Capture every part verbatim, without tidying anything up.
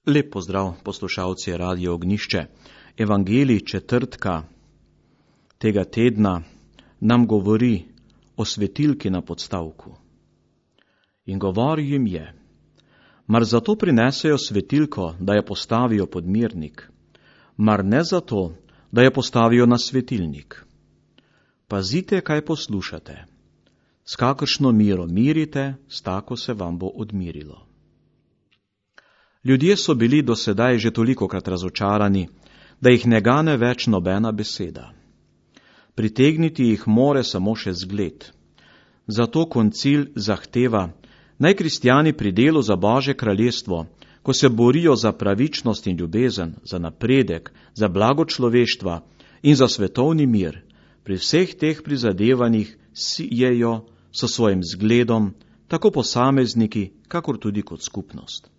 Lep pozdrav, poslušalci Radio Ognjišče. Evangelij četrtka tega tedna nam govori o svetilki na podstavku. In govori jim je, mar zato prinesejo svetilko, da jo postavijo pod mirnik, mar ne zato, da jo postavijo na svetilnik. Pazite, kaj poslušate. S kakršno miro mirite, s tako se vam bo odmirilo. Ljudje so bili do sedaj že tolikokrat razočarani, da jih ne gane več nobena beseda. Pritegniti jih more samo še zgled. Zato koncil zahteva, naj kristjani pri delu za Božje kraljestvo, ko se borijo za pravičnost in ljubezen, za napredek, za blago človeštva in za svetovni mir, pri vseh teh prizadevanjih sijejo s svojim zgledom, tako posamezniki, kakor tudi kot skupnost.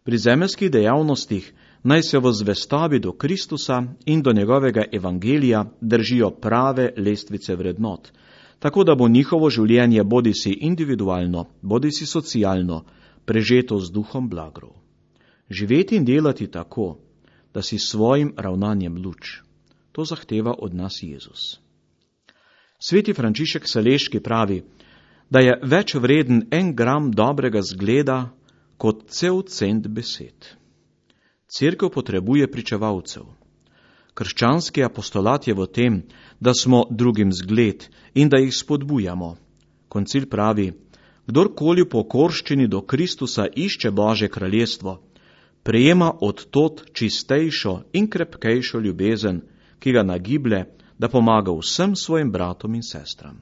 Pri zemeljskih dejavnostih naj se v zvestobi do Kristusa in do njegovega evangelija držijo prave lestvice vrednot, tako da bo njihovo življenje bodisi individualno, bodisi socialno, prežeto z duhom blagrov. Živeti in delati tako, da si svojim ravnanjem luč, to zahteva od nas Jezus. Sveti Frančišek Saleški pravi, da je več vreden en gram dobrega zgleda, kot cel cent besed. Cerkev potrebuje pričevalcev. Krščanski apostolat je v tem, da smo drugim zgled in da jih spodbujamo. Koncil pravi, kdorkoli v pokorščini do Kristusa išče Božje kraljestvo, prejema od tod čistejšo in krepkejšo ljubezen, ki ga nagiblje, da pomaga vsem svojim bratom in sestram.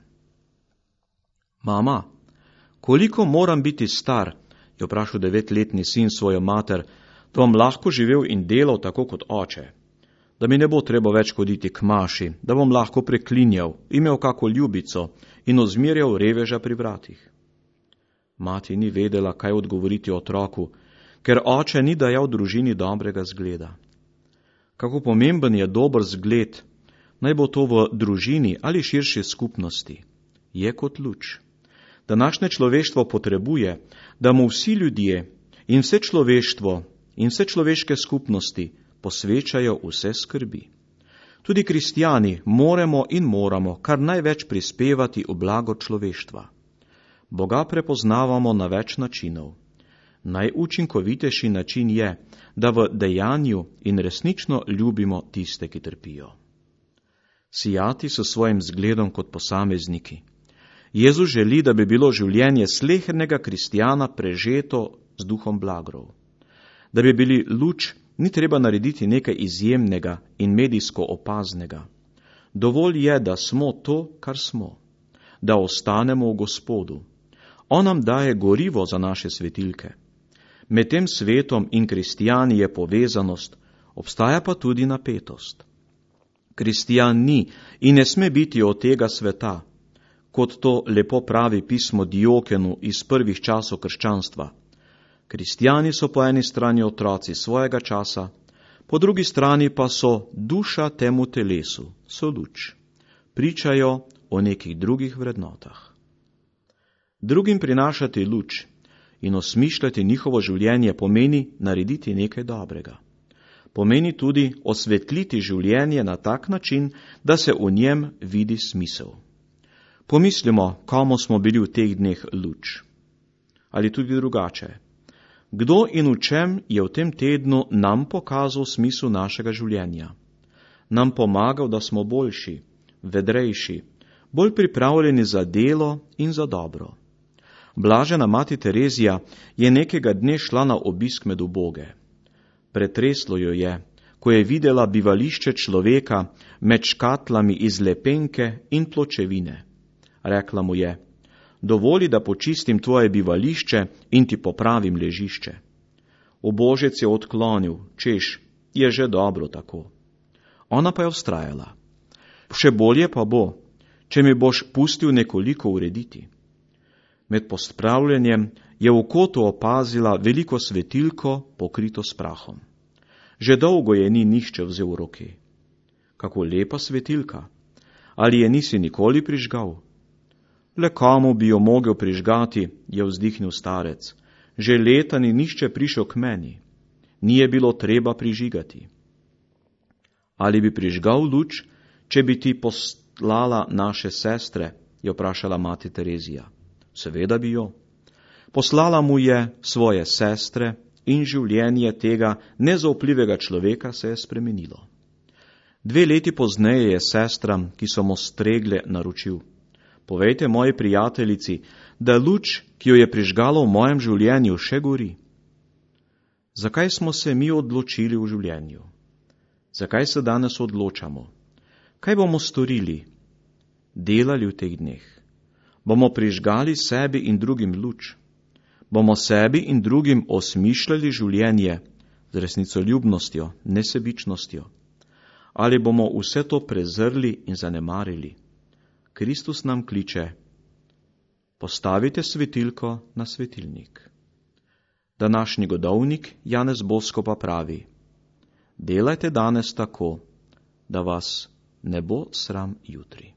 Mama, koliko moram biti star, je vprašal devetletni sin svojo mater, da bom lahko živel in delal tako kot oče, da mi ne bo treba več hoditi k maši, da bom lahko preklinjal, imel kako ljubico in ozmirjal reveža pri vratih. Mati ni vedela, kaj odgovoriti otroku, ker oče ni dajal družini dobrega zgleda. Kako pomemben je dober zgled, naj bo to v družini ali širši skupnosti, je kot luč. Današnje človeštvo potrebuje, da mu vsi ljudje in vse človeštvo in vse človeške skupnosti posvečajo vse skrbi. Tudi kristjani moramo in moramo kar največ prispevati v blago človeštva. Boga prepoznavamo na več načinov. Najučinkovitejši način je, da v dejanju in resnično ljubimo tiste, ki trpijo. Sijati s svojim zgledom kot posamezniki. Jezus želi, da bi bilo življenje slehernega kristjana prežeto z duhom blagrov. Da bi bili luč, ni treba narediti nekaj izjemnega in medijsko opaznega. Dovolj je, da smo to, kar smo. Da ostanemo v Gospodu. On nam daje gorivo za naše svetilke. Med tem svetom in kristjani je povezanost, obstaja pa tudi napetost. Kristjan ni in ne sme biti od tega sveta, kot to lepo pravi pismo Diokenu iz prvih časov krščanstva. Kristjani so po eni strani otroci svojega časa, po drugi strani pa so duša temu telesu, so luč. Pričajo o nekih drugih vrednotah. Drugim prinašati luč in osmišljati njihovo življenje pomeni narediti nekaj dobrega. Pomeni tudi osvetliti življenje na tak način, da se v njem vidi smisel. Pomislimo, komu smo bili v teh dneh luč. Ali tudi drugače. Kdo in v čem je v tem tednu nam pokazal smisel našega življenja? Nam pomagal, da smo boljši, vedrejši, bolj pripravljeni za delo in za dobro. Blažena mati Terezija je nekega dne šla na obisk med uboge. Pretreslo jo je, ko je videla bivališče človeka med škatlami iz lepenke in pločevine. Rekla mu je, dovoli, da počistim tvoje bivališče in ti popravim ležišče. Ubožec je odklonil, češ, je že dobro tako. Ona pa je vztrajala. Še bolje pa bo, če mi boš pustil nekoliko urediti. Med pospravljanjem je v kotu opazila veliko svetilko pokrito s prahom. Že dolgo je ni nihče vzel v roke. Kako lepa svetilka! Ali je nisi nikoli prižgal? Le komu bi jo mogel prižgati, je vzdihnil starec. Že leta ni nihče prišel k meni. ni je bilo treba prižigati. Ali bi prižgal luč, če bi ti poslala naše sestre, je vprašala mati Terezija. Seveda bi jo. Poslala mu je svoje sestre in življenje tega nezaupljivega človeka se je spremenilo. Dve leti pozneje je sestram, ki so mu stregle, naročil: povejte moji prijateljici, da luč, ki jo je prižgalo v mojem življenju, še gori. Zakaj smo se mi odločili v življenju? Zakaj se danes odločamo? Kaj bomo storili, delali v teh dneh? Bomo prižgali sebi in drugim luč? Bomo sebi in drugim osmišljali življenje z resnicoljubnostjo, nesebičnostjo? Ali bomo vse to prezrli in zanemarili? Kristus nam kliče: postavite svetilko na svetilnik. Današnji godovnik Janez Bosko pa pravi: delajte danes tako, da vas ne bo sram jutri.